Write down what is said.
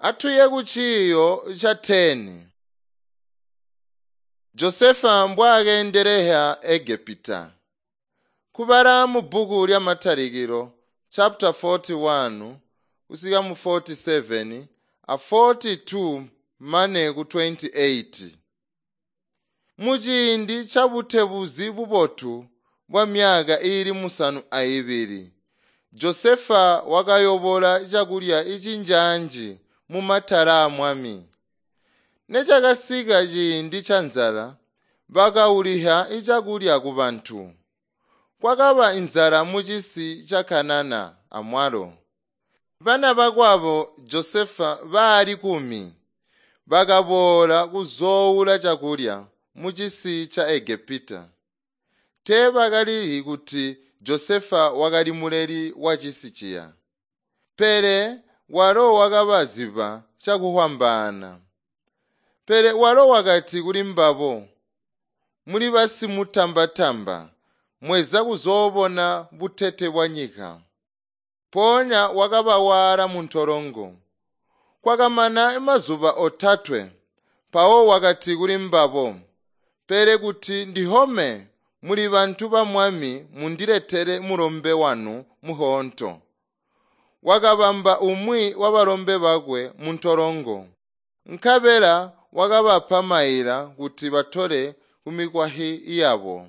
Atuye ku ciiyo ca 10. Josefa mbwaakeendelehya Egepita. Kubala mu bbuku lya Matalikilo chapter 41 kusika mu 47 a 42 mane ku 28. Muciindi ca butebuzi bubotu bwa myaka iili 72, Josefa wakayobola cakulya icinjaanji mumatala aamwami. Necakasika ciindi canzala, bakauliha cakulya kubantu. Kwakaba inzala mucisi ca Kanana amwalo. Bana bakwabo Josefa bali kumi bakaboola kuzoowula cakulya mucisi ca Egepita. Teebakalihi kuti Josefa wakali muleli wacisi ciya. Pele walo wakabaziba cakuhwambaana. Pele walo wakati kuli mbabo, “Muli basimutamba-tamba, mweza kuzoobona butete bwanyika.” Mpoonya wakabawaala muntolongo. Kwakamana mazuba otatwe, mpawo wakati kuli mbabo, “Pele kuti ndihome muli bantu ba Mwami mundiletele mulombe wanu muhoonto.” Wakabamba umwi wabalombe bakwe muntolongo, nkabela wakabapa maila kuti batole kumikwahyi yabo.